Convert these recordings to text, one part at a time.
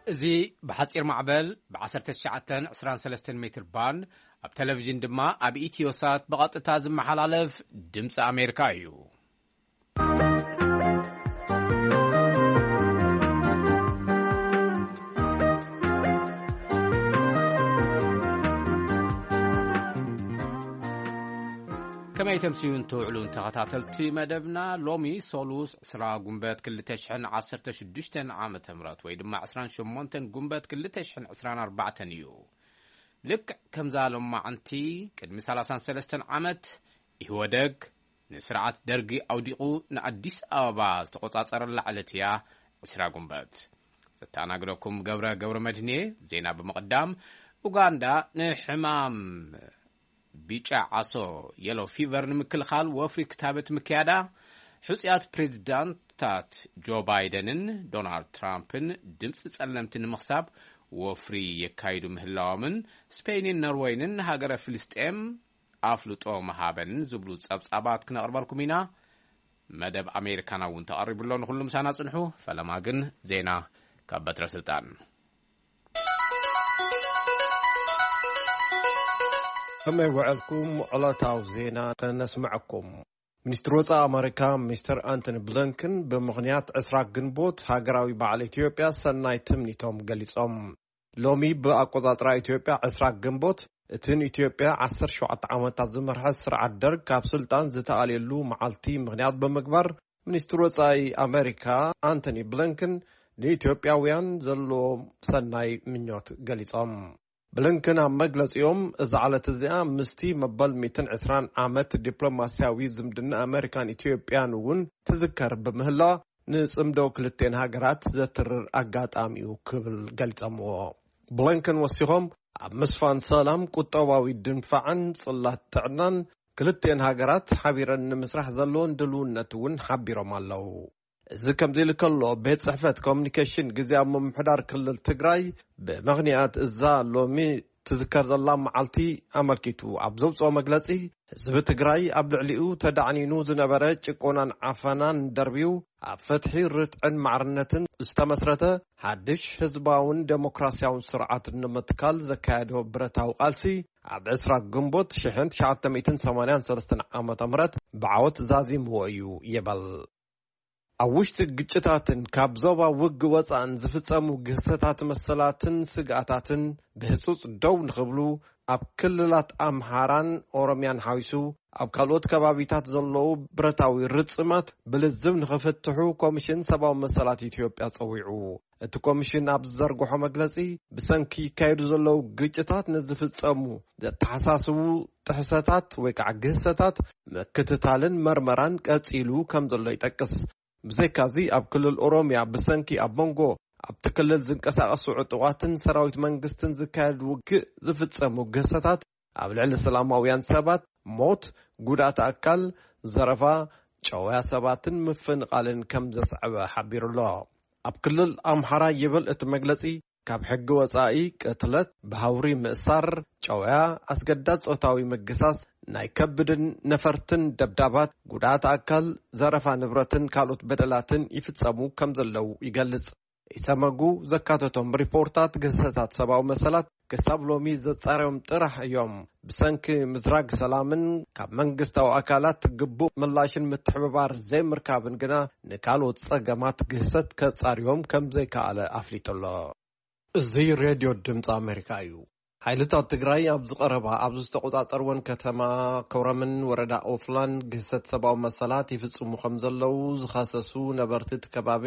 እዚ ብሓጺር ማዕበል ብ19 23 ሜትር ባንድ፣ ኣብ ቴሌቪዥን ድማ ኣብ ኢትዮሳት ብቐጥታ ዝመሓላለፍ ድምፂ ኣሜሪካ እዩ። ከመይ ተምስዩን ትውዕሉን ተኸታተልቲ መደብና፣ ሎሚ ሶሉስ ዕስራ ጉንበት ክልተ ሽሕን ዓሰርተ ሽዱሽተን ዓመተ ምህረት ወይ ድማ ዕስራን ሸሞንተን ጉንበት ክልተ ሽሕን ዕስራን ኣርባዕተን እዩ። ልክዕ ከምዛ ሎማዓንቲ ቅድሚ ሰላሳን ሰለስተን ዓመት ኢህወደግ ንስርዓት ደርጊ ኣውዲቑ ንኣዲስ ኣበባ ዝተቖጻጸረላ ዕለት እያ ዕስራ ጉንበት። ዘተኣናግደኩም ገብረ ገብረ መድህኔ። ዜና ብምቕዳም፣ ኡጋንዳ ንሕማም ቢጫ ዓሶ የሎ ፊቨር ንምክልኻል ወፍሪ ክታበት ምክያዳ፣ ሕጹያት ፕሬዚዳንታት ጆ ባይደንን ዶናልድ ትራምፕን ድምፂ ጸለምቲ ንምኽሳብ ወፍሪ የካይዱ ምህላዎምን፣ ስፔይንን ኖርወይንን ንሃገረ ፍልስጤም ኣፍልጦ መሃበንን ዝብሉ ጸብጻባት ክነቕርበልኩም ኢና። መደብ ኣሜሪካና እውን ተቐሪቡ ኣሎ። ንኹሉ ምሳና ጽንሑ። ፈለማ ግን ዜና ካብ በትረ ስልጣን። ከመይ ውዕልኩም? ዕለታዊ ዜና ነስምዐኩም። ሚኒስትሪ ወጻኢ ኣመሪካ ሚስተር ኣንቶኒ ብሊንከን ብምኽንያት ዕስራ ግንቦት ሃገራዊ በዓል ኢትዮጵያ ሰናይ ትምኒቶም ገሊጾም። ሎሚ ብኣቆጻጽራ ኢትዮጵያ ዕስራ ግንቦት እቲ ንኢትዮጵያ ዓሰርተ ሸውዓተ ዓመታት ዝመርሐ ስርዓት ደርግ ካብ ስልጣን ዝተኣልየሉ መዓልቲ ምኽንያት ብምግባር፣ ሚኒስትሪ ወጻኢ ኣመሪካ ኣንቶኒ ብሊንከን ንኢትዮጵያውያን ዘለዎም ሰናይ ምኞት ገሊጾም። ብሊንከን ኣብ መግለጺኦም፣ እዛ ዕለት እዚኣ ምስቲ መበል ሚእትን ዕስራን ዓመት ዲፕሎማስያዊ ዝምድና ኣመሪካን ኢትዮጵያን እውን ትዝከር ብምህላዋ፣ ንጽምዶ ክልቴን ሃገራት ዘትርር ኣጋጣሚ እዩ ክብል ገሊጾምዎ። ብሊንከን ወሲኾም፣ ኣብ ምስፋን ሰላም፣ ቁጠባዊ ድንፋዕን ጽላት ጥዕናን ክልቴን ሃገራት ሓቢረን ንምስራሕ ዘለዎን ድልውነት እውን ሓቢሮም ኣለዉ። እዚ ከምዚ ኢሉ ከሎ፣ ቤት ጽሕፈት ኮሚኒኬሽን ግዝያዊ ምምሕዳር ክልል ትግራይ ብምኽንያት እዛ ሎሚ ትዝከር ዘላ መዓልቲ ኣመልኪቱ ኣብ ዘውጽኦ መግለጺ፣ ህዝቢ ትግራይ ኣብ ልዕሊኡ ተዳዕኒኑ ዝነበረ ጭቆናን ዓፈናን ደርቢዩ ኣብ ፍትሒ፣ ርትዕን ማዕርነትን ዝተመስረተ ሓድሽ ህዝባውን ዴሞክራስያውን ስርዓት ንምትካል ዘካየዶ ብረታዊ ቃልሲ፣ ኣብ ዕስራ ግንቦት ሽሕን ትሽዓተ ሚእትን ሰማንያን ሰለስተን ዓመተ ምህረት ብዓወት ዛዚምዎ እዩ ይበል። ኣብ ውሽጢ ግጭታትን ካብ ዞባ ውግ ወጻእን ዝፍጸሙ ግህሰታት መሰላትን ስግኣታትን ብህጹጽ ደው ንኽብሉ፣ ኣብ ክልላት ኣምሓራን ኦሮምያን ሓዊሱ ኣብ ካልኦት ከባቢታት ዘለዉ ብረታዊ ርጽማት ብልዝብ ንኽፍትሑ ኮሚሽን ሰብኣዊ መሰላት ኢትዮጵያ ጸዊዑ። እቲ ኮሚሽን ኣብ ዝዘርግሖ መግለጺ፣ ብሰንኪ ይካየዱ ዘለዉ ግጭታት ንዝፍጸሙ ዘተሓሳስቡ ጥሕሰታት ወይ ከዓ ግህሰታት ምክትታልን መርመራን ቀጺሉ ከም ዘሎ ይጠቅስ። ብዘይካዚ፣ ኣብ ክልል ኦሮምያ ብሰንኪ ኣብ መንጎ ኣብቲ ክልል ዝንቀሳቐሱ ዕጡቓትን ሰራዊት መንግስትን ዝካየድ ውግእ ዝፍጸሙ ግህሰታት፣ ኣብ ልዕሊ ሰላማውያን ሰባት ሞት፣ ጉድኣት ኣካል፣ ዘረፋ፣ ጨውያ ሰባትን ምፍንቓልን ከም ዘስዐበ ሓቢሩ ኣሎ። ኣብ ክልል ኣምሓራ ይብል እቲ መግለጺ፣ ካብ ሕጊ ወጻኢ ቅትለት፣ ብሃውሪ ምእሳር፣ ጨውያ፣ ኣስገዳድ ጾታዊ ምግሳስ፣ ናይ ከብድን ነፈርትን ደብዳባት፣ ጉድኣት ኣካል፣ ዘረፋ ንብረትን ካልኦት በደላትን ይፍጸሙ ከም ዘለዉ ይገልጽ። ኢሰመጉ ዘካተቶም ሪፖርታት ግህሰታት ሰብኣዊ መሰላት ክሳብ ሎሚ ዘጻረዮም ጥራሕ እዮም። ብሰንኪ ምዝራግ ሰላምን ካብ መንግስታዊ ኣካላት ግቡእ ምላሽን ምትሕብባር ዘይምርካብን ግና ንካልኦት ጸገማት ግህሰት ከጻርዮም ከም ዘይከኣለ ኣፍሊጡ ኣሎ። እዚ ሬድዮ ድምፂ ኣሜሪካ እዩ። ሓይልታት ትግራይ ኣብዚ ቀረባ ኣብ ዝተቆጻጸርወን ከተማ ኮረምን ወረዳ ኦፍላን ግህሰት ሰብኣዊ መሰላት ይፍጽሙ ከም ዘለዉ ዝኸሰሱ ነበርቲ እቲ ከባቢ፣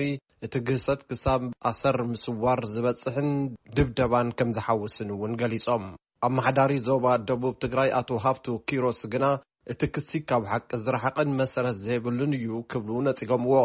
እቲ ግህሰት ክሳብ ኣሰር ምስዋር ዝበጽሕን ድብደባን ከም ዝሓውስን እውን ገሊጾም። ኣመሓዳሪ ዞባ ደቡብ ትግራይ ኣቶ ሃፍቱ ኪሮስ ግና፣ እቲ ክሲ ካብ ሓቂ ዝረሓቐን መሰረት ዘይብሉን እዩ ክብሉ ነጺጎምዎ።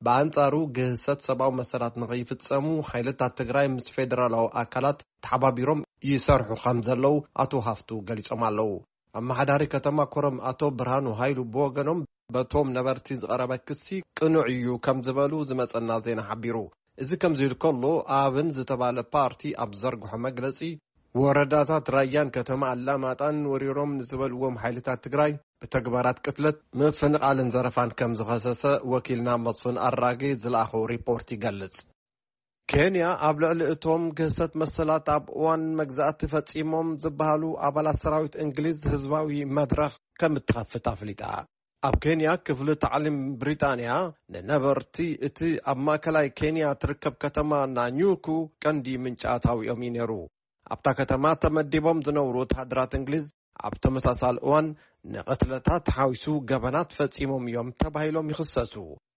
ብኣንጻሩ፣ ግህሰት ሰብኣዊ መሰላት ንኸይፍጸሙ ሓይልታት ትግራይ ምስ ፌደራላዊ ኣካላት ተሓባቢሮም ይሰርሑ ከም ዘለዉ ኣቶ ሃፍቱ ገሊጾም ኣለዉ። ኣመሓዳሪ ከተማ ኮረም ኣቶ ብርሃኑ ሃይሉ ብወገኖም፣ በቶም ነበርቲ ዝቐረበ ክሲ ቅኑዕ እዩ ከም ዝበሉ ዝመጸና ዜና ሓቢሩ። እዚ ከምዚ ኢሉ ከሎ፣ ኣብን ዝተባለ ፓርቲ ኣብ ዘርግሖ መግለጺ፣ ወረዳታት ራያን ከተማ ኣላማጣን ወሪሮም ንዝበልዎም ሓይልታት ትግራይ ብተግባራት ቅትለት፣ ምፍንቓልን ዘረፋን ከም ዝኸሰሰ ወኪልና መስፍን ኣራጌ ዝለኣኾ ሪፖርት ይገልጽ። ኬንያ ኣብ ልዕሊ እቶም ግህሰት መሰላት ኣብ እዋን መግዛእቲ ፈጺሞም ዝበሃሉ ኣባላት ሰራዊት እንግሊዝ ህዝባዊ መድረኽ ከም እትኸፍት ኣፍሊጣ። ኣብ ኬንያ ክፍሊ ታዕሊም ብሪጣንያ ንነበርቲ እቲ ኣብ ማእከላይ ኬንያ ትርከብ ከተማ ናኙኩ ቀንዲ ምንጪ ኣታዊኦም እዩ ነይሩ። ኣብታ ከተማ ተመዲቦም ዝነብሩ ወተሃደራት እንግሊዝ ኣብ ተመሳሳሊ እዋን ንቕትለታት ሓዊሱ ገበናት ፈጺሞም እዮም ተባሂሎም ይኽሰሱ።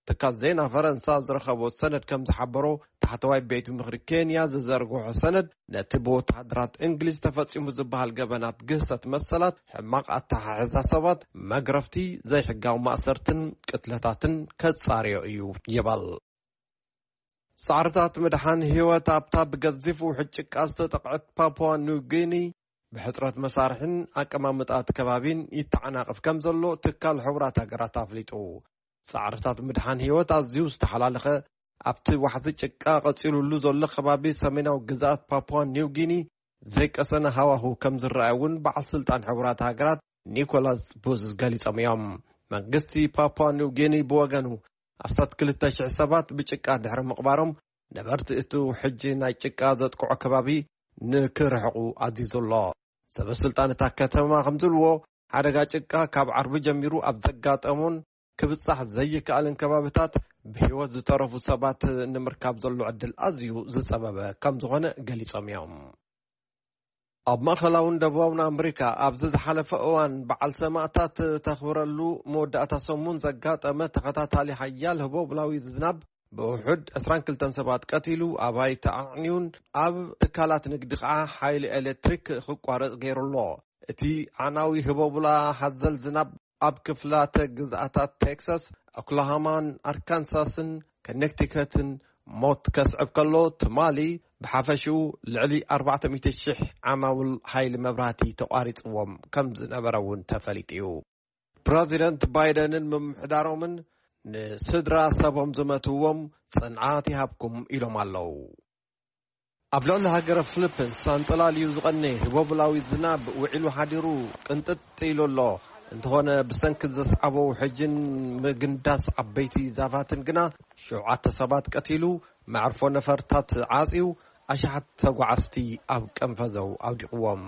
ትካል ዜና ፈረንሳ ዝረኸቦ ሰነድ ከም ዝሓበሮ፣ ታሕተዋይ ቤት ምኽሪ ኬንያ ዝዘርግሖ ሰነድ ነቲ ብወተሃደራት እንግሊዝ ተፈጺሙ ዝበሃል ገበናት ግህሰት መሰላት፣ ሕማቕ ኣተሓሕዛ ሰባት፣ መግረፍቲ፣ ዘይሕጋዊ ማእሰርትን ቅትለታትን ከጻርዮ እዩ ይበል። ጻዕርታት ምድሓን ህይወት ኣብታ ብገዚፍ ውሕጅ ጭቃ ዝተጠቕዐት ፓፑዋ ኒው ጊኒ ብሕጽረት መሳርሕን ኣቀማምጣ እቲ ከባቢን ይተዓናቐፍ ከም ዘሎ ትካል ሕቡራት ሃገራት ኣፍሊጡ። ጻዕርታት ምድሓን ህይወት ኣዝዩ ዝተሓላለኸ፣ ኣብቲ ዋሕዚ ጭቃ ቀጺሉሉ ዘሎ ከባቢ ሰሜናዊ ግዝኣት ፓፑዋ ኒው ጊኒ ዘይቀሰነ ሃዋሁ ከም ዝረኣየ እውን በዓል ስልጣን ሕቡራት ሃገራት ኒኮላስ ቡዝ ገሊጾም እዮም። መንግስቲ ፓፑዋ ኒው ጊኒ ብወገኑ ኣስታት ክልተ ሽሕ ሰባት ብጭቃ ድሕሪ ምቕባሮም፣ ነበርቲ እቲ ውሕጅ ናይ ጭቃ ዘጥቅዖ ከባቢ ንክርሕቑ ኣዚዙ ኣሎ። ሰበ ስልጣን እታ ከተማ ከም ዝብልዎ፣ ሓደጋ ጭቃ ካብ ዓርቢ ጀሚሩ ኣብ ዘጋጠሞን ክብጻሕ ዘይከኣልን ከባብታት ብህይወት ዝተረፉ ሰባት ንምርካብ ዘሎ ዕድል ኣዝዩ ዝጸበበ ከም ዝኾነ ገሊጾም እዮም። ኣብ ማእከላውን ደቡባውን ኣመሪካ ኣብዚ ዝሓለፈ እዋን በዓል ሰማእታት ተኽብረሉ መወዳእታ ሰሙን ዘጋጠመ ተኸታታሊ ሓያል ህቦብላዊ ዝናብ ብውሑድ ዕስራን ክልተን ሰባት ቀቲሉ፣ ኣባይቲ ኣዕንዩን ኣብ ትካላት ንግዲ ኸዓ ሓይሊ ኤሌክትሪክ ክቋረጽ ገይሩ ኣሎ። እቲ ኣዕናዊ ህቦብላ ሓዘል ዝናብ ኣብ ክፍላተ ግዝኣታት ቴክሳስ፣ ኦክላሃማን ኣርካንሳስን ከኔክቲከትን ሞት ከስዕብ ከሎ፣ ትማሊ ብሓፈሽኡ ልዕሊ ኣርባዕተ ሚእቲ ሽሕ ዓማውል ሓይሊ መብራህቲ ተቋሪጽዎም ከም ዝነበረ እውን ተፈሊጡ እዩ። ፕረዚደንት ባይደንን ምምሕዳሮምን ንስድራ ሰቦም ዝመትዎም ጽንዓት ይሃብኩም ኢሎም ኣለዉ። ኣብ ልዕሊ ሃገረ ፊሊፒንስ ኣንጸላልዩ ዝቐነየ ህቦብላዊ ዝናብ ውዒሉ ሓዲሩ ቅንጥጥ ኢሉ ኣሎ። እንተኾነ፣ ብሰንኪ ዘስዓቦ ውሕጅን ምግንዳስ ዓበይቲ ዛፋትን ግና ሸውዓተ ሰባት ቀቲሉ፣ መዕርፎ ነፈርታት ዓጽዩ፣ ኣሽሓት ተጓዓዝቲ ኣብ ቀንፈዘው ኣውዲቕዎም።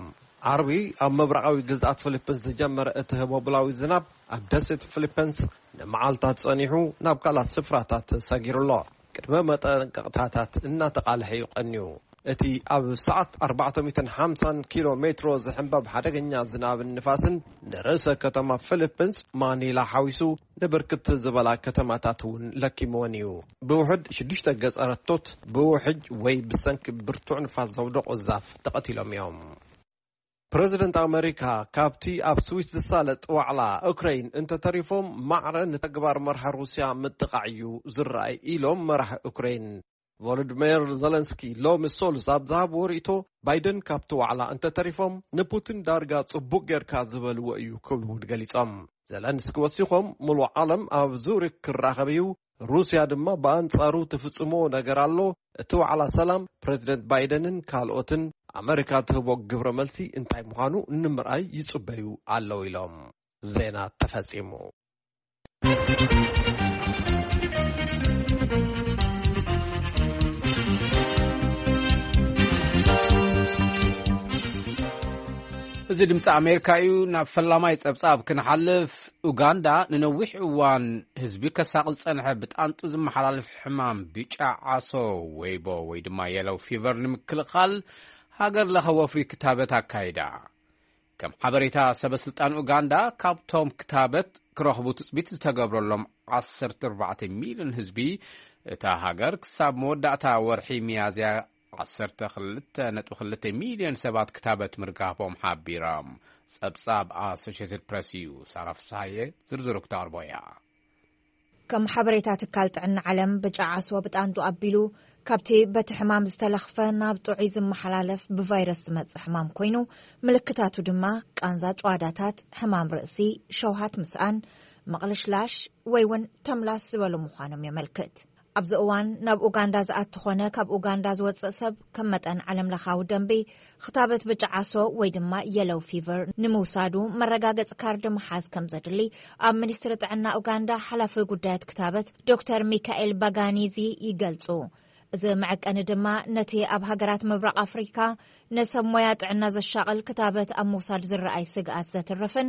ዓርቢ ኣብ ምብራቓዊ ግዝኣት ፊሊፒንስ ዝጀመረ እቲ ህቦብላዊ ዝናብ ኣብ ደሴት ፊሊፒንስ ንመዓልታት ጸኒሑ ናብ ካልኣት ስፍራታት ሰጊሩ ኣሎ። ቅድመ መጠንቀቕታታት እናተቓልሐ እዩ ቀንዩ። እቲ ኣብ ሰዓት ኣርባዕተ ሚእትን ሓምሳን ኪሎ ሜትሮ ዝሕንበብ ሓደገኛ ዝናብን ንፋስን ንርእሰ ከተማ ፊሊፒንስ ማኒላ ሓዊሱ ንብርክት ዝበላ ከተማታት እውን ለኪምወን እዩ። ብውሕድ ሽዱሽተ ገጸረቶት ብውሕጅ ወይ ብሰንኪ ብርቱዕ ንፋስ ዘውደቑ ዛፍ ተቐቲሎም እዮም። ፕረዚደንት ኣመሪካ ካብቲ ኣብ ስዊስ ዝሳለጥ ዋዕላ ኡክረይን እንተተሪፎም ማዕረ ንተግባር መርሒ ሩስያ ምጥቓዕ እዩ ዝረኣይ ኢሎም መራሒ ኡክረይን። ቮሎዲሚር ዘለንስኪ ሎሚ ሶሉስ ኣብ ዝሃብዎ ርእይቶ፣ ባይደን ካብቲ ዋዕላ እንተተሪፎም ንፑቲን ዳርጋ ጽቡቕ ጌርካ ዝበልዎ እዩ ክብሉ እውን ገሊጾም። ዘለንስኪ ወሲኾም፣ ምሉእ ዓለም ኣብ ዙሪክ ክራኸብ እዩ፣ ሩስያ ድማ ብኣንጻሩ ትፍጽሞ ነገር ኣሎ። እቲ ዋዕላ ሰላም ፕረዚደንት ባይደንን ካልኦትን ኣመሪካ ትህቦ ግብረ መልሲ እንታይ ምዃኑ ንምርኣይ ይጽበዩ ኣለዉ ኢሎም። ዜና ተፈጺሙ። እዚ ድምፂ ኣሜሪካ እዩ። ናብ ፈላማይ ፀብፃብ ክንሓልፍ፣ ኡጋንዳ ንነዊሕ እዋን ህዝቢ ከሳቕል ዝፀንሐ ብጣንጡ ዝመሓላለፍ ሕማም ብጫ ዓሶ ወይቦ ወይ ድማ የለው ፊቨር ንምክልኻል ሃገር ለኸ ወፍሪ ክታበት ኣካይዳ። ከም ሓበሬታ ሰበ ስልጣን ኡጋንዳ፣ ካብቶም ክታበት ክረኽቡ ትፅቢት ዝተገብረሎም ዓሰርተ ኣርባዕተ ሚልዮን ህዝቢ እታ ሃገር ክሳብ መወዳእታ ወርሒ ሚያዝያ ዓሰርተ ክልተ ነጥቢ ክልተ ሚልዮን ሰባት ክታበት ምርካቦም ሓቢሮም። ጸብጻብ ኣሶሽየትድ ፕረስ እዩ። ሳራ ፍስሃየ ዝርዝሩ ክተቕርቦ እያ። ከም ሓበሬታ ትካል ጥዕና ዓለም፣ ብጫ ዓሶ ብጣንጡ ኣቢሉ ካብቲ በቲ ሕማም ዝተለኽፈ ናብ ጥዑይ ዝመሓላለፍ ብቫይረስ ዝመጽእ ሕማም ኮይኑ፣ ምልክታቱ ድማ ቃንዛ ጭዋዳታት፣ ሕማም ርእሲ፣ ሸውሃት ምስኣን፣ ምቕልሽላሽ ወይ እውን ተምላስ ዝበሉ ምዃኖም የመልክት። ኣብዚ እዋን ናብ ኡጋንዳ ዝኣቱ ኾነ ካብ ኡጋንዳ ዝወጽእ ሰብ ከም መጠን ዓለምለኻዊ ደንቢ ክታበት ብጫ ዓሶ ወይ ድማ የለው ፊቨር ንምውሳዱ መረጋገጺ ካርድ ምሓዝ ከም ዘድሊ ኣብ ሚኒስትሪ ጥዕና ኡጋንዳ ሓላፊ ጉዳያት ክታበት ዶክተር ሚካኤል ባጋኒዚ ይገልጹ። እዚ መዐቀኒ ድማ ነቲ ኣብ ሃገራት ምብራቕ ኣፍሪካ ንሰብ ሞያ ጥዕና ዘሻቕል ክታበት ኣብ ምውሳድ ዝረኣይ ስግኣት ዘትርፍን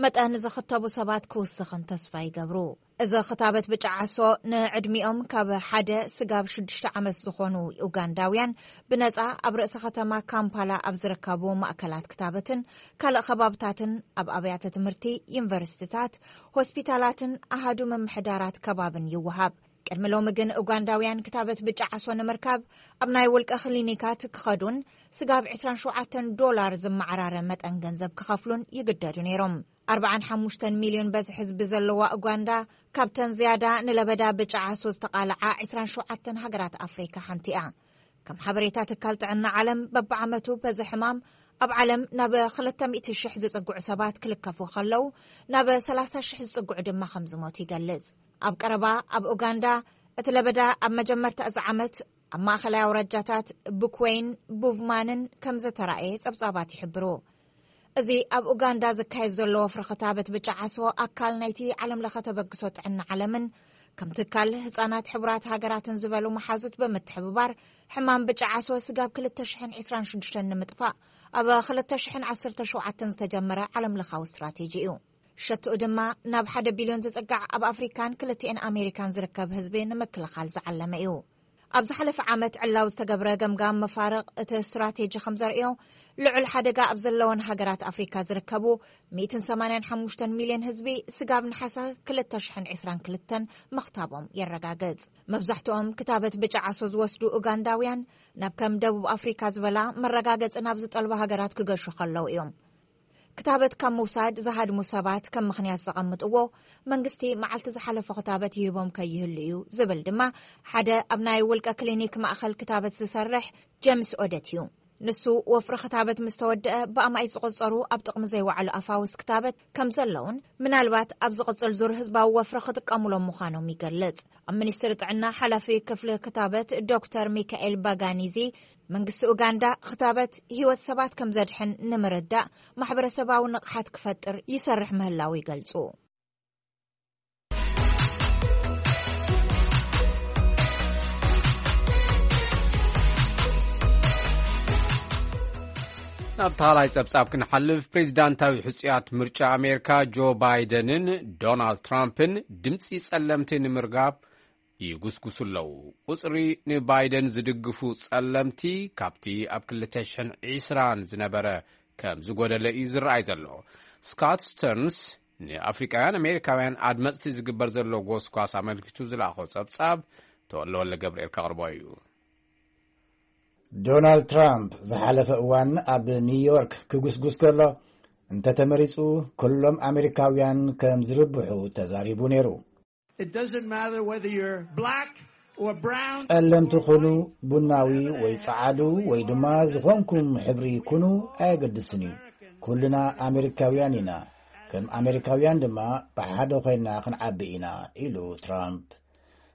መጠን ዝኽተቡ ሰባት ክውስኽን ተስፋ ይገብሩ። እዚ ክታበት ብጫ ዓሶ ንዕድሚኦም ካብ ሓደ ስጋብ ሽዱሽተ ዓመት ዝኾኑ ኡጋንዳውያን ብነጻ ኣብ ርእሰ ከተማ ካምፓላ ኣብ ዝርከቡ ማእከላት ክታበትን ካልእ ከባብታትን ኣብ ኣብያተ ትምህርቲ፣ ዩኒቨርሲቲታት፣ ሆስፒታላትን ኣሃዱ ምምሕዳራት ከባብን ይወሃብ። ቅድሚ ሎሚ ግን ኡጋንዳውያን ክታበት ብጫ ዓሶ ንምርካብ ኣብ ናይ ውልቀ ክሊኒካት ክኸዱን ስጋብ ዕስራን ሸውዓተን ዶላር ዝመዓራረ መጠን ገንዘብ ክኸፍሉን ይግደዱ ነይሮም። ኣርባዓን ሓሙሽተን ሚልዮን በዝሒ ህዝቢ ዘለዋ ኡጋንዳ ካብተን ዝያዳ ንለበዳ ብጫ ዓሶ ዝተቓልዓ ዕስራን ሸውዓተን ሃገራት ኣፍሪካ ሓንቲ እያ። ከም ሓበሬታ ትካል ጥዕና ዓለም በብዓመቱ በዚ ሕማም ኣብ ዓለም ናብ ክልተ ሚእቲ ሽሕ ዝጽግዑ ሰባት ክልከፉ ከለዉ ናብ ሰላሳ ሽሕ ዝጽግዑ ድማ ከም ዝሞቱ ይገልጽ። ኣብ ቀረባ ኣብ ኡጋንዳ እቲ ለበዳ ኣብ መጀመርታ እዚ ዓመት ኣብ ማእኸላይ ኣውራጃታት ብኩወይን ቡቭማንን ከም ዝተራእየ ጸብጻባት ይሕብሩ። እዚ ኣብ ኡጋንዳ ዝካየድ ዘሎ ወፍሪ ክታበት ብጫ ዓሶ ኣካል ናይቲ ዓለም ለኸ ተበግሶ ጥዕና ዓለምን ከም ትካል ህጻናት ሕቡራት ሃገራትን ዝበሉ መሓዙት ብምትሕብባር ሕማም ብጫ ዓሶ ስጋብ ክልተ ሽሕን ዕስራን ሽዱሽተን ንምጥፋእ ኣብ ክልተ ሽሕን ዓሰርተ ሸውዓተን ዝተጀመረ ዓለም ለኻዊ ስትራቴጂ እዩ። ሸትኡ ድማ ናብ ሓደ ቢልዮን ዝጽጋዕ ኣብ ኣፍሪካን ክልቲኤን ኣሜሪካን ዝርከብ ህዝቢ ንምክልኻል ዝዓለመ እዩ። ኣብ ዝሓለፈ ዓመት ዕላው ዝተገብረ ገምጋም መፋርቕ እቲ ስትራቴጂ ከም ዘርእዮ ልዑል ሓደጋ ኣብ ዘለወን ሃገራት ኣፍሪካ ዝርከቡ ሚእትን ሰማንያን ሓሙሽተን ሚልዮን ህዝቢ ስጋብ ነሓሰ ክልተ ሽሕን ዕስራን ክልተን ምኽታቦም የረጋግጽ። መብዛሕትኦም ክታበት ብጫ ዓሶ ዝወስዱ ኡጋንዳውያን ናብ ከም ደቡብ ኣፍሪካ ዝበላ መረጋገጺ ናብ ዝጠልባ ሃገራት ክገሹ ከለዉ እዮም። ክታበት ካብ ምውሳድ ዝሃድሙ ሰባት ከም ምኽንያት ዘቐምጥዎ መንግስቲ መዓልቲ ዝሓለፎ ክታበት ይህቦም ከይህሉ እዩ ዝብል ድማ ሓደ ኣብ ናይ ውልቀ ክሊኒክ ማእኸል ክታበት ዝሰርሕ ጀምስ ኦደት እዩ። ንሱ ወፍሪ ክታበት ምስ ተወደአ ብኣማኢት ዝቑጸሩ ኣብ ጥቕሚ ዘይወዓሉ ኣፋውስ ክታበት ከም ዘለውን ምናልባት ኣብ ዝቕጽል ዙር ህዝባዊ ወፍሪ ክጥቀሙሎም ምዃኖም ይገልጽ። ኣብ ሚኒስትሪ ጥዕና ሓላፊ ክፍሊ ክታበት ዶክተር ሚካኤል ባጋኒዚ መንግስቲ ኡጋንዳ ክታበት ህይወት ሰባት ከም ዘድሕን ንምርዳእ ማሕበረሰባዊ ንቕሓት ክፈጥር ይሰርሕ ምህላው ይገልጹ። ናብ ታላይ ጸብጻብ ክንሓልፍ፣ ፕሬዚዳንታዊ ሕጽያት ምርጫ ኣሜሪካ ጆ ባይደንን ዶናልድ ትራምፕን ድምፂ ጸለምቲ ንምርጋብ ይጉስጉሱ ኣለዉ። ቁጽሪ ንባይደን ዝድግፉ ጸለምቲ ካብቲ ኣብ ክልተ ሽሕን ዕስራን ዝነበረ ከም ዝጎደለ እዩ ዝረኣይ ዘሎ። ስካት ስተርንስ ንኣፍሪቃውያን ኣሜሪካውያን ኣድመጽቲ ዝግበር ዘሎ ጎስጓስ ኣመልኪቱ ዝለኣኾ ጸብጻብ ተወለወለ ገብርኤል ከቕርቦ እዩ። ዶናልድ ትራምፕ ዝሓለፈ እዋን ኣብ ኒውዮርክ ክጉስጉስ ከሎ፣ እንተተመሪጹ ኩሎም ኣሜሪካውያን ከም ዝርብሑ ተዛሪቡ ነይሩ። It doesn't matter whether you're black or brown. ጸለምቲ ኩኑ፣ ቡናዊ ወይ ጸዓዱ ወይ ድማ ዝኾንኩም ሕብሪ ኩኑ ኣየገድስን እዩ። ኩልና ኣሜሪካውያን ኢና። ከም ኣሜሪካውያን ድማ ብሓደ ኮይና ክንዓቢ ኢና፣ ኢሉ ትራምፕ።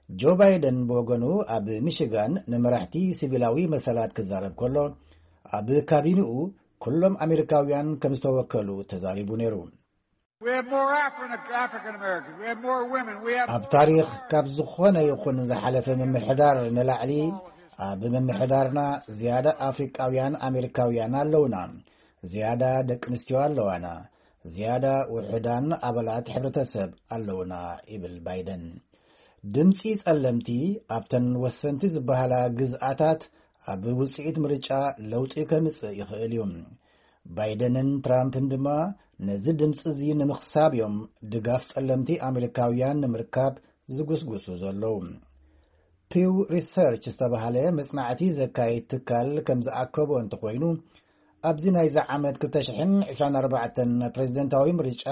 ጆ ባይደን ብወገኑ ኣብ ሚሽጋን ንመራሕቲ ሲቪላዊ መሰላት ክዛረብ ከሎ፣ ኣብ ካቢንኡ ኩሎም ኣሜሪካውያን ከም ዝተወከሉ ተዛሪቡ ነይሩ። We have more Afri- African Americans. We have more women. We have ኣብ ታሪኽ ካብ ዝኾነ ይኹን ዝሓለፈ ምምሕዳር ንላዕሊ ኣብ ምምሕዳርና ዝያዳ ኣፍሪቃውያን ኣሜሪካውያን ኣለውና። ዝያዳ ደቂ ኣንስትዮ ኣለዋና። ዝያዳ ውሑዳን ኣባላት ሕብረተሰብ ኣለውና፣ ይብል ባይደን። ድምፂ ጸለምቲ ኣብተን ወሰንቲ ዝበሃላ ግዝኣታት ኣብ ውፅኢት ምርጫ ለውጢ ከምፅእ ይኽእል እዩ። ባይደንን ትራምፕን ድማ ነዚ ድምፂ እዚ ንምኽሳብ እዮም ድጋፍ ጸለምቲ ኣሜሪካውያን ንምርካብ ዝጉስጉሱ ዘለዉ። ፒው ሪሰርች ዝተባህለ መጽናዕቲ ዘካይድ ትካል ከም ዝኣከቦ እንተኾይኑ፣ ኣብዚ ናይዚ ዓመት ክልተ ሽሕን ዕስራን ኣርባዕተን ፕሬዝደንታዊ ምርጫ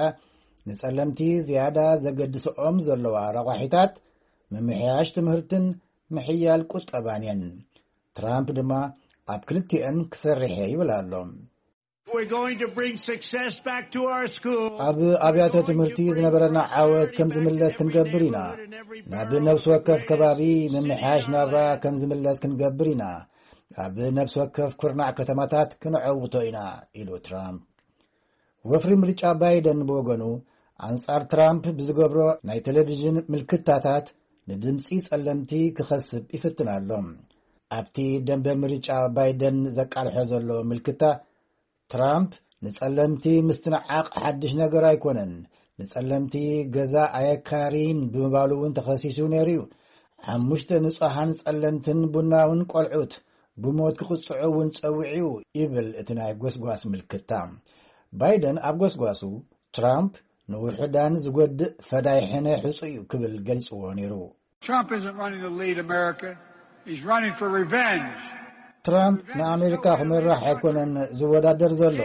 ንጸለምቲ ዝያዳ ዘገድስኦም ዘለዋ ረቋሒታት ምምሕያሽ ትምህርትን ምሕያል ቁጠባን እየን። ትራምፕ ድማ ኣብ ክልቲአን ክሰርሕ እየ ይብል ኣሎ። We're going to bring success back to our school. ኣብ ኣብያተ ትምህርቲ ዝነበረና ዓወት ከም ዝምለስ ክንገብር ኢና። ናብ ነፍሲ ወከፍ ከባቢ ምምሕያሽ ናብራ ከም ዝምለስ ክንገብር ኢና። ኣብ ነፍሲ ወከፍ ኩርናዕ ከተማታት ክንዐውቶ ኢና፣ ኢሉ ትራምፕ። ወፍሪ ምርጫ ባይደን ብወገኑ፣ ኣንጻር ትራምፕ ብዝገብሮ ናይ ቴሌቪዥን ምልክታታት ንድምጺ ጸለምቲ ክኸስብ ይፍትን ኣሎ። ኣብቲ ደንበ ምርጫ ባይደን ዘቃልሖ ዘሎ ምልክታ፣ ትራምፕ ንጸለምቲ ምስትንዓቕ ሓድሽ ነገር ኣይኮነን። ንጸለምቲ ገዛ ኣየካርይን ብምባሉ እውን ተኸሲሱ ነይሩ እዩ። ሓሙሽተ ንጹሃን ጸለምትን ቡናውን ቆልዑት ብሞት ክቕጽዑ እውን ጸዊዑ እዩ፣ ይብል እቲ ናይ ጎስጓስ ምልክታ። ባይደን ኣብ ጎስጓሱ፣ ትራምፕ ንውሑዳን ዝጎድእ ፈዳይ ሕነ ሕጹ እዩ ክብል ገሊጽዎ ነይሩ። Trump isn't running to lead America. He's running for revenge. ትራምፕ ንኣሜሪካ ክመራሕ ኣይኮነን ዝወዳደር ዘሎ፣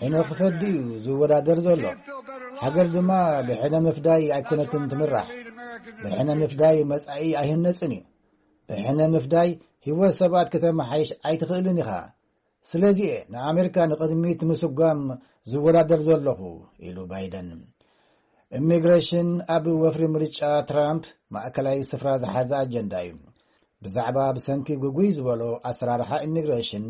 ሕነ ክፈዲ እዩ ዝወዳደር ዘሎ። ሃገር ድማ ብሕነ ምፍዳይ ኣይኮነትን ትምራሕ። ብሕነ ምፍዳይ መጻኢ ኣይህነጽን እዩ። ብሕነ ምፍዳይ ህይወት ሰባት ከተመሓይሽ ኣይትኽእልን ኢኻ። ስለዚ እየ ንኣሜሪካ ንቕድሚት ምስጓም ዝወዳደር ዘለኹ፣ ኢሉ ባይደን። ኢሚግሬሽን ኣብ ወፍሪ ምርጫ ትራምፕ ማእከላይ ስፍራ ዝሓዘ ኣጀንዳ እዩ። ብዛዕባ ብሰንኪ ግጉይ ዝበሎ ኣሰራርሓ ኢሚግሬሽን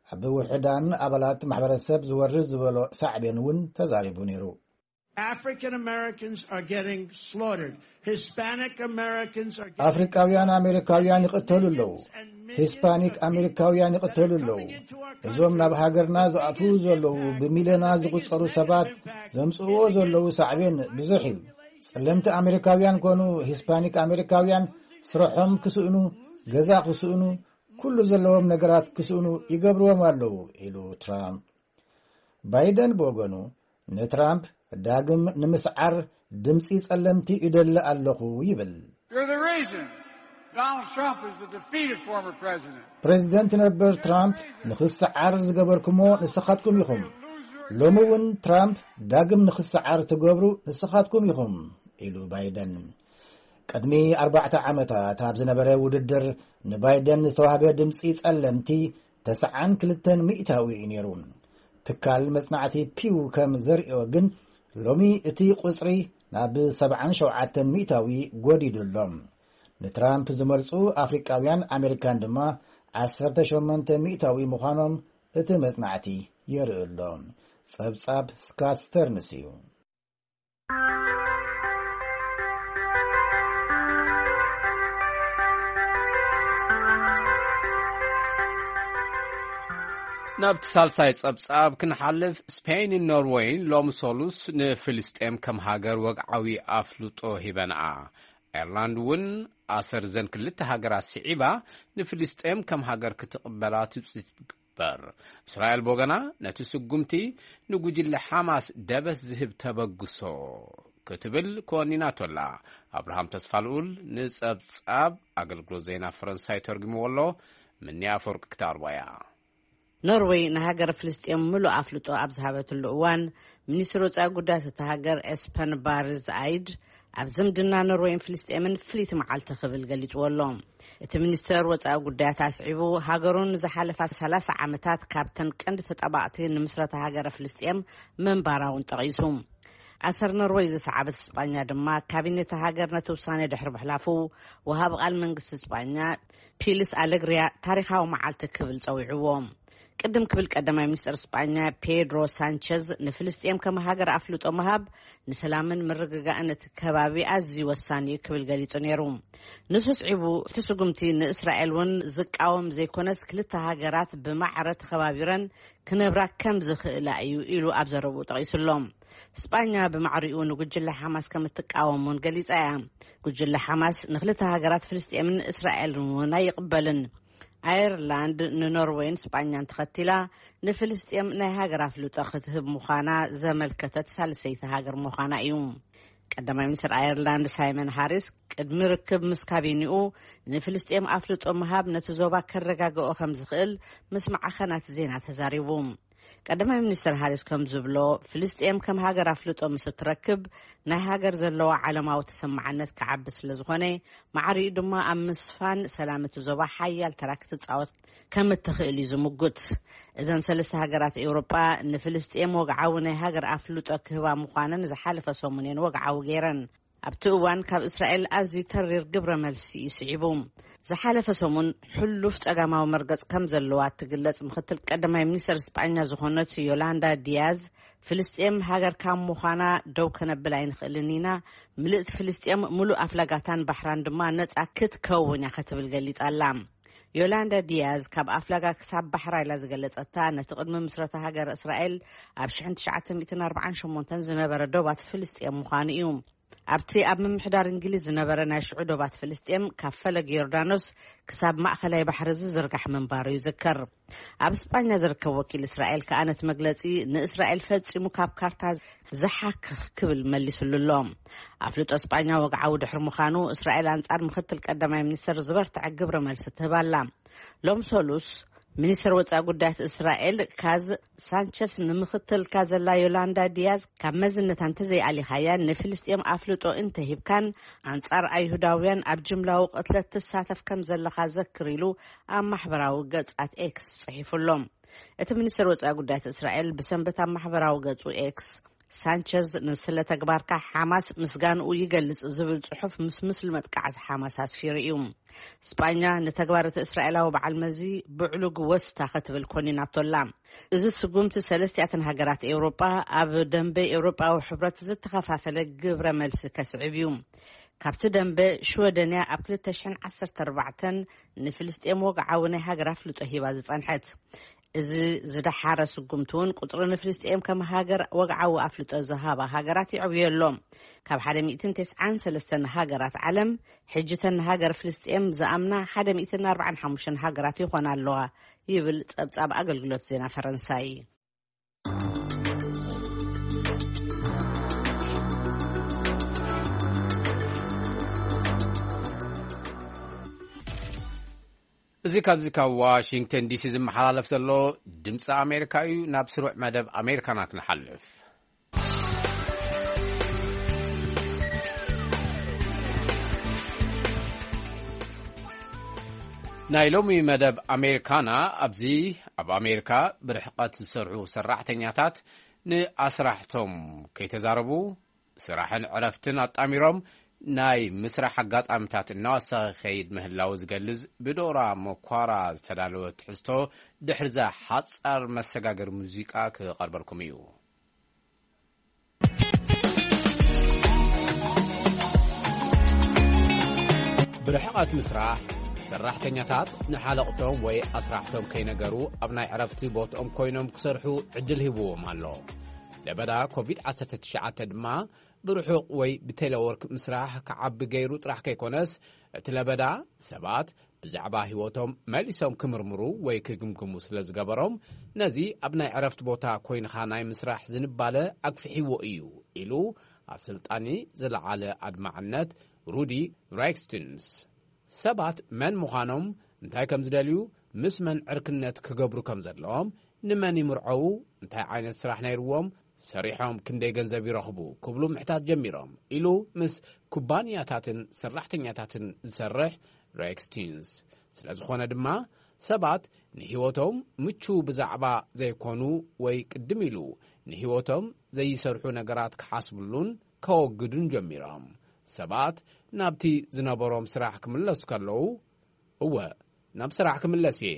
ኣብ ውሑዳን ኣባላት ማሕበረሰብ ዝወርድ ዝበሎ ሳዕቤን እውን ተዛሪቡ ነይሩ። African Americans are getting slaughtered. Hispanic Americans are getting ኣፍሪካውያን ኣሜሪካውያን ይቕተሉ ኣለዉ። ሂስፓኒክ ኣሜሪካውያን ይቕተሉ ኣለዉ። እዞም ናብ ሃገርና ዝኣትዉ ዘለዉ ብሚልዮናት ዝቑጸሩ ሰባት ዘምጽእዎ ዘለዉ ሳዕቤን ብዙሕ እዩ። ጸለምቲ ኣሜሪካውያን ኮኑ ሂስፓኒክ ኣሜሪካውያን ስርሖም ክስእኑ፣ ገዛ ክስእኑ፣ ኩሉ ዘለዎም ነገራት ክስእኑ ይገብርዎም ኣለዉ፣ ኢሉ ትራምፕ። ባይደን ብወገኑ ንትራምፕ ዳግም ንምስዓር ድምፂ ጸለምቲ ይደሊ ኣለኹ ይብል። You're the reason Donald Trump is the defeated former president. ፕሬዚደንት ነበር ትራምፕ ንኽስዓር ዝገበርኩሞ ንስኻትኩም ኢኹም። ሎሚ እውን ትራምፕ ዳግም ንኽስዓር ትገብሩ ንስኻትኩም ኢኹም፣ ኢሉ ባይደን። ቅድሚ ኣርባዕተ ዓመታት ኣብ ዝነበረ ውድድር ንባይደን ዝተዋህበ ድምፂ ጸለምቲ ተስዓን ክልተን ሚእታዊ እዩ ነይሩ። ትካል መጽናዕቲ ፒው ከም ዘርእዮ ግን ሎሚ እቲ ቁጽሪ ናብ ሰብዓን ሸውዓተን ሚእታዊ ጎዲዱ ኣሎ። ንትራምፕ ዝመርጹ ኣፍሪቃውያን ኣሜሪካን ድማ ዓሰርተ ሸሞንተ ሚእታዊ ምዃኖም እቲ መጽናዕቲ የርኢ ኣሎ። ጸብጻብ ስካት ስተርንስ እዩ። ናብቲ ሳልሳይ ጸብጻብ ክንሓልፍ፣ ስፔይንን ኖርወይን ሎሚ ሰሉስ ንፍልስጤም ከም ሃገር ወግዓዊ ኣፍልጦ ሂበንኣ። ኣየርላንድ እውን ኣሰር ዘን ክልተ ሃገራት ስዒባ ንፍልስጤም ከም ሃገር ክትቕበላ ትጽቢት ትግበር። እስራኤል ብወገና ነቲ ስጉምቲ ንጉጅለ ሓማስ ደበስ ዝህብ ተበግሶ ክትብል ኮኒናቶ ኣላ። ኣብርሃም ተስፋልኡል ንጸብጻብ ኣገልግሎት ዜና ፈረንሳይ ተርጉምዎ ኣሎ። ምንያ ኣፈወርቂ ክተቕርቦ እያ። ኖርወይ ንሃገር ፍልስጤም ምሉእ ኣፍልጦ ኣብ ዝሃበትሉ እዋን፣ ሚኒስትር ወጻኢ ጉዳያት እታ ሃገር ኤስፐን ባርዝ ኣይድ ኣብ ዝምድና ኖርወይን ፍልስጤምን ፍልይቲ መዓልቲ ክብል ገሊጽዎ ኣሎ። እቲ ሚኒስተር ወጻኢ ጉዳያት ኣስዒቡ፣ ሃገሩን ንዝሓለፋ ሰላሳ ዓመታት ካብተን ቀንዲ ተጣባቕቲ ንምስረታ ሃገረ ፍልስጤም ምንባራ እውን ጠቒሱ። ኣሰር ኖርወይ ዝሰዓበት ስጳኛ ድማ፣ ካቢኔት ሃገር ነቲ ውሳኔ ድሕሪ ምሕላፉ፣ ወሃቢ ቃል መንግስቲ ስጳኛ ፒልስ ኣለግሪያ ታሪኻዊ መዓልቲ ክብል ጸዊዕዎ። ቅድም ክብል ቀዳማይ ሚኒስተር ስጳኛ ፔድሮ ሳንቸዝ፣ ንፍልስጤም ከም ሃገር ኣፍልጦ ምሃብ ንሰላምን ምርግጋእን እቲ ከባቢ ኣዝዩ ወሳኒ እዩ ክብል ገሊጹ ነይሩ። ንሱ ስዒቡ፣ እቲ ስጉምቲ ንእስራኤል እውን ዝቃወም ዘይኮነስ፣ ክልተ ሃገራት ብማዕረ ተኸባቢረን ክነብራ ከም ዝኽእላ እዩ ኢሉ ኣብ ዘረብኡ ጠቒሱ ኣሎ። ስጳኛ ብማዕሪኡ ንጉጅለ ሓማስ ከም እትቃወም እውን ገሊጻ እያ። ጉጅለ ሓማስ ንክልተ ሃገራት ፍልስጤምን እስራኤልን እውን ኣይቕበልን። ኣየርላንድ ንኖርወይን ስጳኛን ተኸቲላ ንፍልስጤም ናይ ሃገር ኣፍልጦ ክትህብ ምዃና ዘመልከተት ሳልሰይቲ ሃገር ምዃና እዩ። ቀዳማይ ሚኒስትር ኣየርላንድ ሳይመን ሃሪስ ቅድሚ ርክብ ምስ ካቢኒኡ፣ ንፍልስጤም ኣፍልጦ ምሃብ ነቲ ዞባ ከረጋግኦ ከም ዝኽእል ምስ ማዕኸናት ዜና ተዛሪቡ። ቀዳማይ ሚኒስትር ሃሪስ ከም ዝብሎ፣ ፍልስጤም ከም ሃገር ኣፍልጦ ምስ እትረክብ፣ ናይ ሃገር ዘለዋ ዓለማዊ ተሰማዕነት ክዓቢ ስለ ዝኾነ፣ ማዕሪኡ ድማ ኣብ ምስፋን ሰላም እቲ ዞባ ሓያል ተራ ክትጻወት ከም እትኽእል እዩ ዝምጉት። እዘን ሰለስተ ሃገራት ኤውሮጳ ንፍልስጤም ወግዓዊ ናይ ሃገር ኣፍልጦ ክህባ ምዃነን ዝሓለፈ ሰሙን እየን ወግዓዊ ገይረን። ኣብቲ እዋን ካብ እስራኤል ኣዝዩ ተሪር ግብረ መልሲ እዩ ስዒቡ። ዝሓለፈ ሰሙን ሕሉፍ ጸጋማዊ መርገጽ ከም ዘለዋ እትግለጽ ምኽትል ቀዳማይ ሚኒስተር ስጳኛ ዝኾነት ዮላንዳ ዲያዝ፣ ፍልስጤም ሃገር ካብ ምዃና ደው ከነብል ኣይንኽእልን ኢና፣ ምልእቲ ፍልስጤም፣ ምሉእ ኣፍላጋታን ባሕራን ድማ ነጻ ክትከውን እያ ክትብል ገሊጻ ኣላ። ዮላንዳ ዲያዝ ካብ ኣፍላጋ ክሳብ ባሕራ ኢላ ዝገለጸታ፣ ነቲ ቅድሚ ምስረታ ሃገር እስራኤል ኣብ ሽሕን ትሽዓተ ሚእትን ኣርባዓን ሸሞንተን ዝነበረ ዶባት ፍልስጤም ምዃኑ እዩ። ኣብቲ ኣብ ምምሕዳር እንግሊዝ ዝነበረ ናይ ሽዑ ዶባት ፍልስጤም ካብ ፈለግ ዮርዳኖስ ክሳብ ማእከላይ ባሕሪ ዝዝርጋሕ ምንባሩ ይዝከር። ኣብ ስጳኛ ዝርከብ ወኪል እስራኤል ከኣ ነቲ መግለጺ ንእስራኤል ፈጺሙ ካብ ካርታ ዝሓክኽ ክብል መሊሱሉ ኣሎ። ኣፍልጦ ስጳኛ ወግዓዊ ድሕሪ ምዃኑ፣ እስራኤል ኣንጻር ምክትል ቀዳማይ ሚኒስተር ዝበርትዐ ግብረ መልሲ ትህብ ኣላ። ሎም ሰሉስ፣ ሚኒስተር ወጻኢ ጉዳያት እስራኤል ካዝ ሳንቸስ ንምክትልካ ዘላ ዮላንዳ ዲያዝ ካብ መዝነታ እንተዘይኣሊኻያ፣ ንፍልስጤም ኣፍልጦ እንተሂብካን ኣንጻር ኣይሁዳውያን ኣብ ጅምላዊ ቅትለት ትሳተፍ ከም ዘለኻ ዘክር ኢሉ ኣብ ማሕበራዊ ገጻት ኤክስ ጽሒፉ ኣሎ። እቲ ሚኒስተር ወጻኢ ጉዳያት እስራኤል ብሰንበት ኣብ ማሕበራዊ ገጹ ኤክስ፣ ሳንቸዝ ንስለ ተግባርካ ሓማስ ምስጋንኡ ይገልጽ ዝብል ጽሑፍ ምስ ምስሊ መጥቃዕቲ ሓማስ ኣስፊሩ እዩ። ስጳኛ ንተግባር እቲ እስራኤላዊ በዓል መዚ ብዕሉግ ወስታ ክትብል ኮኒናቶ ኣላ። እዚ ስጉምቲ ሰለስቲኣተን ሃገራት ኤውሮጳ ኣብ ደንበ ኤውሮጳዊ ሕብረት ዝተኸፋፈለ ግብረ መልሲ ከስዕብ እዩ። ካብቲ ደንበ ሽወደንያ ኣብ ክልተ ሽሕን ዓሰርተ ኣርባዕተን ንፍልስጤም ወግዓዊ ናይ ሃገር ኣፍልጦ ሂባ ዝጸንሐት። እዚ ዝደሓረ ስጉምቲ እውን ቁጽሪ ንፍልስጤም ከም ሃገር ወግዓዊ ኣፍልጦ ዝሃባ ሃገራት ይዕብዮ ኣሎ። ካብ ሓደ ሚእትን ተስዓን ሰለስተን ሃገራት ዓለም፣ ሕጂ እተን ንሃገር ፍልስጤም ዝኣምና ሓደ ሚእትን ኣርባዓን ሓሙሽተን ሃገራት ይኾና ኣለዋ ይብል ጸብጻብ ኣገልግሎት ዜና ፈረንሳይ። እዚ ካብዚ ካብ ዋሽንግተን ዲሲ ዝመሓላለፍ ዘሎ ድምፂ ኣሜሪካ እዩ። ናብ ስሩዕ መደብ ኣሜሪካና ክንሓልፍ። ናይ ሎሚ መደብ ኣሜሪካና ኣብዚ ኣብ ኣሜሪካ ብርሕቐት ዝሰርሑ ሰራሕተኛታት ንኣስራሕቶም ከይተዛረቡ ስራሕን ዕረፍትን ኣጣሚሮም ናይ ምስራሕ ኣጋጣሚታት እናወሰኸ ይኸይድ ምህላው ዝገልጽ ብዶራ መኳራ ዝተዳለወ ትሕዝቶ ድሕሪዛ ሓጻር መሰጋገሪ ሙዚቃ ክቐርበልኩም እዩ። ብርሕቐት ምስራሕ፣ ሰራሕተኛታት ንሓለቕቶም ወይ ኣስራሕቶም ከይነገሩ ኣብ ናይ ዕረፍቲ ቦትኦም ኮይኖም ክሰርሑ ዕድል ሂብዎም ኣሎ። ለበዳ ኮቪድ ዓሰርተ ትሽዓተ ድማ ብርሑቕ ወይ ብቴሌወርክ ምስራሕ ክዓቢ ገይሩ ጥራሕ ከይኮነስ፣ እቲ ለበዳ ሰባት ብዛዕባ ህይወቶም መሊሶም ክምርምሩ ወይ ክግምግሙ ስለ ዝገበሮም፣ ነዚ ኣብ ናይ ዕረፍቲ ቦታ ኮይንኻ ናይ ምስራሕ ዝንባለ ኣግፍሒዎ እዩ ኢሉ ኣሰልጣኒ ዝለዓለ ኣድማዕነት ሩዲ ራይክስቲንስ። ሰባት መን ምዃኖም፣ እንታይ ከም ዝደልዩ፣ ምስ መን ዕርክነት ክገብሩ ከም ዘለዎም፣ ንመን ይምርዐዉ፣ እንታይ ዓይነት ስራሕ ነይርዎም፣ ሰሪሖም ክንደይ ገንዘብ ይረኽቡ ክብሉ ምሕታት ጀሚሮም ኢሉ ምስ ኩባንያታትን ሰራሕተኛታትን ዝሰርሕ ሬክስቲንስ። ስለ ዝኾነ ድማ ሰባት ንህይወቶም ምቹው ብዛዕባ ዘይኮኑ ወይ ቅድም ኢሉ ንህይወቶም ዘይሰርሑ ነገራት ክሓስብሉን ከወግዱን ጀሚሮም። ሰባት ናብቲ ዝነበሮም ስራሕ ክምለሱ ከለዉ፣ እወ፣ ናብ ስራሕ ክምለስ እየ።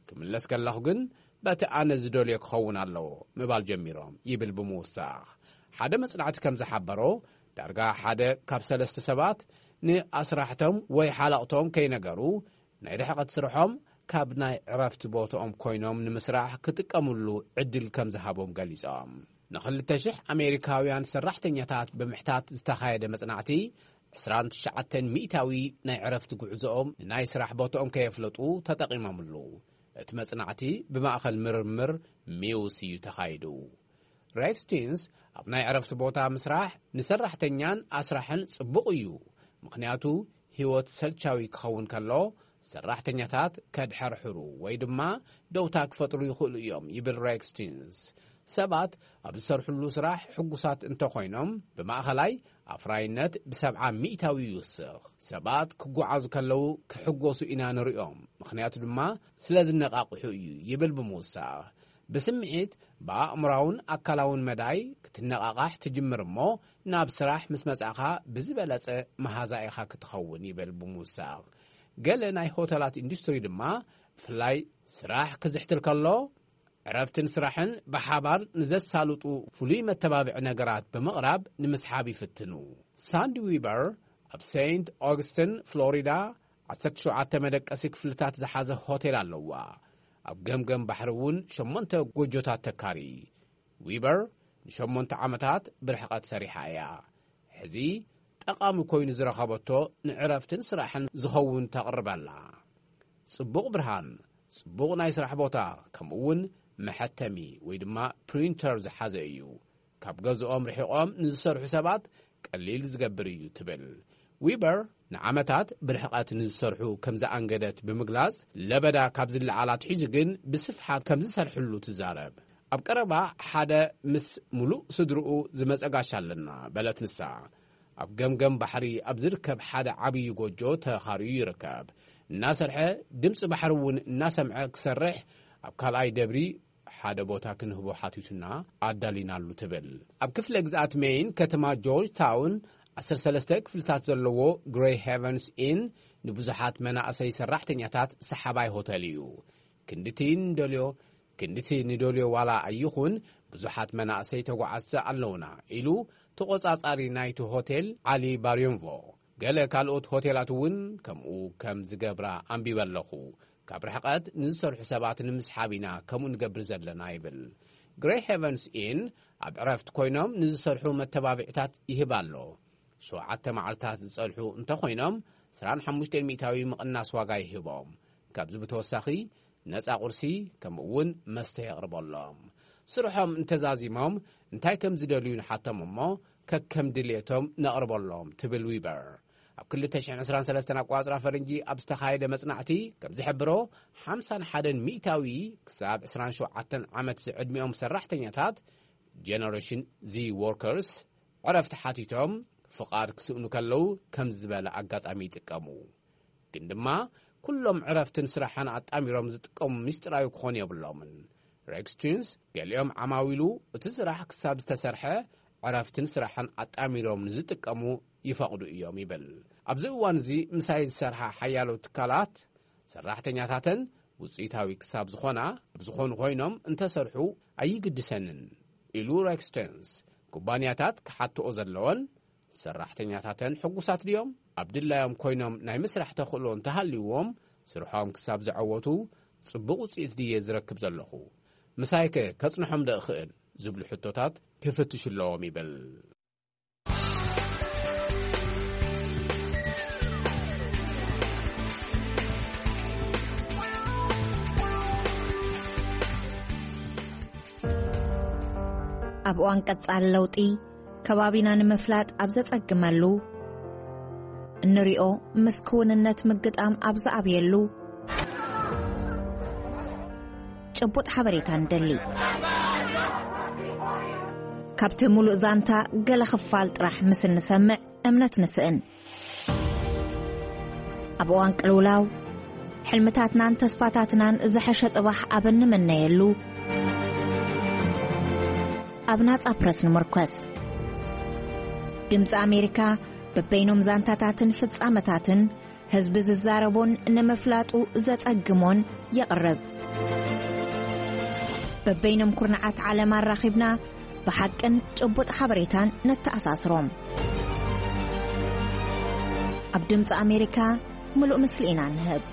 ክምለስ ከለኹ ግን በቲ ኣነ ዝደልዮ ክኸውን ኣለዎ ምባል ጀሚሮም ይብል ብምውሳኽ። ሓደ መጽናዕቲ ከም ዝሓበሮ፣ ዳርጋ ሓደ ካብ ሰለስተ ሰባት ንኣስራሕቶም ወይ ሓለቕቶም ከይነገሩ ናይ ርሕቐት ስርሖም ካብ ናይ ዕረፍቲ ቦትኦም ኮይኖም ንምስራሕ ክጥቀምሉ ዕድል ከም ዝሃቦም ገሊጾም። ንኽልተ ሽሕ ኣሜሪካውያን ሰራሕተኛታት ብምሕታት ዝተኻየደ መጽናዕቲ፣ ዕስራን ትሽዓተን ሚእታዊ ናይ ዕረፍቲ ጉዕዞኦም ንናይ ስራሕ ቦትኦም ከየፍለጡ ተጠቒሞምሉ። እቲ መጽናዕቲ ብማእከል ምርምር ሚውስ እዩ ተኻይዱ። ሬክስቲንስ ኣብ ናይ ዕረፍቲ ቦታ ምስራሕ ንሰራሕተኛን ኣስራሕን ጽቡቕ እዩ፣ ምኽንያቱ ህይወት ሰልቻዊ ክኸውን ከሎ ሰራሕተኛታት ከድሐርሕሩ ወይ ድማ ደውታ ክፈጥሩ ይኽእሉ እዮም ይብል ሬክስቲንስ። ሰባት ኣብ ዝሰርሕሉ ስራሕ ሕጉሳት እንተኾይኖም ብማእኸላይ ኣፍራይነት ብሰብዓ ሚእታዊ ይውስኽ። ሰባት ክጓዓዙ ከለዉ ክሕጎሱ ኢና ንሪኦም፣ ምኽንያቱ ድማ ስለ ዝነቓቕሑ እዩ ይብል ብምውሳኽ። ብስምዒት ብኣእምራውን ኣካላውን መዳይ ክትነቓቓሕ ትጅምር እሞ ናብ ስራሕ ምስ መጻእኻ ብዝበለጸ መሃዛ ኢኻ ክትኸውን ይብል ብምውሳኽ። ገለ ናይ ሆተላት ኢንዱስትሪ ድማ ብፍላይ ስራሕ ክዝሕትል ከሎ ዕረፍትን ስራሕን ብሓባር ንዘሳልጡ ፍሉይ መተባብዒ ነገራት ብምቕራብ ንምስሓብ ይፍትኑ። ሳንዲ ዊበር ኣብ ሴንት ኦግስትን ፍሎሪዳ ዓሰርተ ሸውዓተ መደቀሲ ክፍልታት ዝሓዘ ሆቴል ኣለዋ። ኣብ ገምገም ባሕሪ እውን ሸሞንተ ጎጆታት ተካሪ። ዊበር ንሸሞንተ ዓመታት ብርሕቐት ሰሪሓ እያ። ሕዚ ጠቓሚ ኮይኑ ዝረኸበቶ ንዕረፍትን ስራሕን ዝኸውን ተቕርበላ። ጽቡቕ ብርሃን፣ ጽቡቕ ናይ ስራሕ ቦታ፣ ከምኡ እውን መሐተሚ ወይ ድማ ፕሪንተር ዝሓዘ እዩ። ካብ ገዝኦም ርሒቖም ንዝሰርሑ ሰባት ቀሊል ዝገብር እዩ ትብል። ዊበር ንዓመታት ብርሕቐት ንዝሰርሑ ከም ዝኣንገደት ብምግላጽ፣ ለበዳ ካብ ዝለዓል ኣትሒዙ ግን ብስፍሓት ከም ዝሰርሕሉ ትዛረብ። ኣብ ቀረባ ሓደ ምስ ምሉእ ስድርኡ ዝመጸ ጋሻ ኣለና በለት ንሳ። ኣብ ገምገም ባሕሪ ኣብ ዝርከብ ሓደ ዓብዪ ጎጆ ተኻርዩ ይርከብ። እናሰርሐ፣ ድምፂ ባሕሪ እውን እናሰምዐ ክሰርሕ፣ ኣብ ካልኣይ ደብሪ ሓደ ቦታ ክንህቦ ሓቲቱና ኣዳሊናሉ ትብል። ኣብ ክፍለ ግዝኣት ሜይን ከተማ ጆርጅ ታውን ዓሰርተ ሰለስተ ክፍልታት ዘለዎ ግሬይ ሄቨንስ ኢን ንብዙሓት መናእሰይ ሰራሕተኛታት ሰሓባይ ሆቴል እዩ። ክንድቲ ንደልዮ ክንድቲ ንደልዮ ዋላ ኣይኹን፣ ብዙሓት መናእሰይ ተጓዓዝቲ ኣለውና ኢሉ ተቖጻጻሪ ናይቲ ሆቴል ዓሊ ባርዮንቮ። ገለ ካልኦት ሆቴላት እውን ከምኡ ከም ዝገብራ ኣንቢበ ኣለኹ። ካብ ርሕቐት ንዝሰርሑ ሰባት ንምስሓብ ኢና ከምኡ ንገብር ዘለና ይብል። ግሬይ ሄቨንስ ኢን ኣብ ዕረፍቲ ኮይኖም ንዝሰርሑ መተባብዕታት ይህብ ኣሎ። ሸውዓተ መዓልታት ዝጸንሑ እንተኾይኖም፣ ዕስራን ሓሙሽተን ሚእታዊ ምቕናስ ዋጋ ይህቦም። ካብዚ ብተወሳኺ ነጻ ቁርሲ፣ ከምኡ እውን መስተ የቕርበሎም። ስርሖም እንተዛዚሞም እንታይ ከም ዝደልዩ ንሓቶም እሞ፣ ከከም ድልየቶም ነቕርበሎም ትብል ዊበር። ኣብ ክልተ ሽሕን ዕስራን ሰለስተን ኣቋጽራ ፈረንጂ ኣብ ዝተኻየደ መጽናዕቲ ከም ዝሕብሮ፣ ሓምሳን ሓደን ሚእታዊ ክሳብ ዕስራን ሸውዓተን ዓመት ዝዕድሚኦም ሰራሕተኛታት፣ ጀነሬሽን ዚ ወርከርስ፣ ዕረፍቲ ሓቲቶም ፍቓድ ክስእኑ ከለዉ ከም ዝበለ ኣጋጣሚ ይጥቀሙ። ግን ድማ ኩሎም ዕረፍትን ስራሕን ኣጣሚሮም ዝጥቀሙ ምስጢራዊ ክኾኑ የብሎምን። ሬክስ ቱንስ፣ ገሊኦም ዓማዊሉ እቲ ስራሕ ክሳብ ዝተሰርሐ ዕረፍትን ስራሕን ኣጣሚሮም ንዝጥቀሙ ይፈቕዱ እዮም ይብል። ኣብዚ እዋን እዚ ምሳይ ዝሰርሓ ሓያሎ ትካላት ሰራሕተኛታተን ውፅኢታዊ ክሳብ ዝኾና፣ ኣብ ዝኾኑ ኮይኖም እንተሰርሑ ኣይግድሰንን ኢሉ ሬክስ ቱንስ። ኩባንያታት ክሓትኦ ዘለወን፣ ሰራሕተኛታተን ሕጉሳት ድዮም? ኣብ ድላዮም ኮይኖም ናይ ምስራሕ ተኽእሎ እንተሃልይዎም፣ ስርሖም ክሳብ ዝዐወቱ፣ ጽቡቕ ውጽኢት ድየ ዝረክብ ዘለኹ? ምሳይከ ከጽንሖም ዶ እኽእል? ዝብሉ ሕቶታት ክፍትሹ ኣለዎም ይብል። ኣብ እዋን ቀጻሊ ለውጢ፣ ከባቢና ንምፍላጥ ኣብ ዘጸግመሉ፣ እንሪኦ ምስ ክውንነት ምግጣም ኣብ ዝኣብየሉ፣ ጭቡጥ ሓበሬታ ንደሊ። ካብቲ ምሉእ ዛንታ ገለ ክፋል ጥራሕ ምስ እንሰምዕ እምነት ንስእን። ኣብ እዋን ቅልውላው፣ ሕልምታትናን ተስፋታትናን ዝሐሸ ጽባሕ ኣብ እንምነየሉ፣ ኣብ ናጻ ፕረስ ንምርኮስ። ድምጺ ኣሜሪካ በበይኖም ዛንታታትን ፍጻመታትን ህዝቢ ዝዛረቦን ንምፍላጡ ዘጸግሞን የቕርብ። በበይኖም ኩርናዓት ዓለም ኣራኺብና ብሓቅን ጭቡጥ ሓበሬታን ነተኣሳስሮም። ኣብ ድምጺ ኣሜሪካ ምሉእ ምስሊ ኢና ንህብ።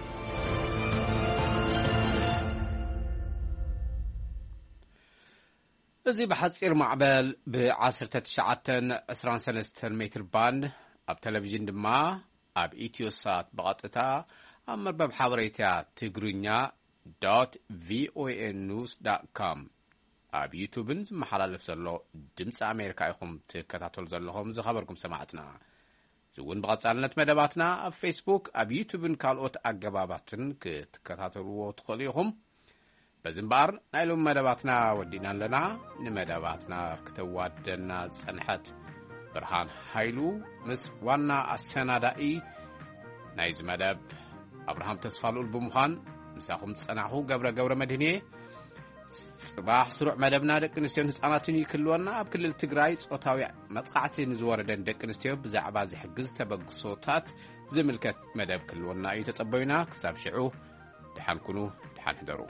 እዚ ብሓጺር ማዕበል ብ19 23 ሜትር ባንድ፣ ኣብ ቴሌቪዥን ድማ ኣብ ኢትዮሳት ብቐጥታ፣ ኣብ መርበብ ሓበሬታ ትግርኛ ዶት ቪኦኤ ኒውስ ዳት ኮም፣ ኣብ ዩቱብን ዝመሓላለፍ ዘሎ ድምፂ ኣሜሪካ ኢኹም ትከታተሉ ዘለኹም ዝኸበርኩም ሰማዕትና። እዚ እውን ብቐጻልነት መደባትና ኣብ ፌስቡክ፣ ኣብ ዩቱብን ካልኦት ኣገባባትን ክትከታተልዎ ትኽእሉ ኢኹም። በዚ እምበኣር ናይ ሎሚ መደባትና ወዲእና ኣለና። ንመደባትና ክተዋደና ዝጸንሐት ብርሃን ሃይሉ ምስ ዋና ኣሰናዳኢ ናይዚ መደብ ኣብርሃም ተስፋልኡል ብምዃን ምሳኹም ዝጸናሕኹ ገብረ ገብረ መድህን እየ። ጽባሕ ስሩዕ መደብና ደቂ ኣንስትዮን ህጻናትን እዩ ክህልወና። ኣብ ክልል ትግራይ ጾታዊ መጥቃዕቲ ንዝወረደን ደቂ ኣንስትዮ ብዛዕባ ዝሕግዝ ተበግሶታት ዝምልከት መደብ ክህልወና እዩ። ተጸበዩና። ክሳብ ሽዑ ደሓን ኩኑ፣ ደሓን ሕደሩ።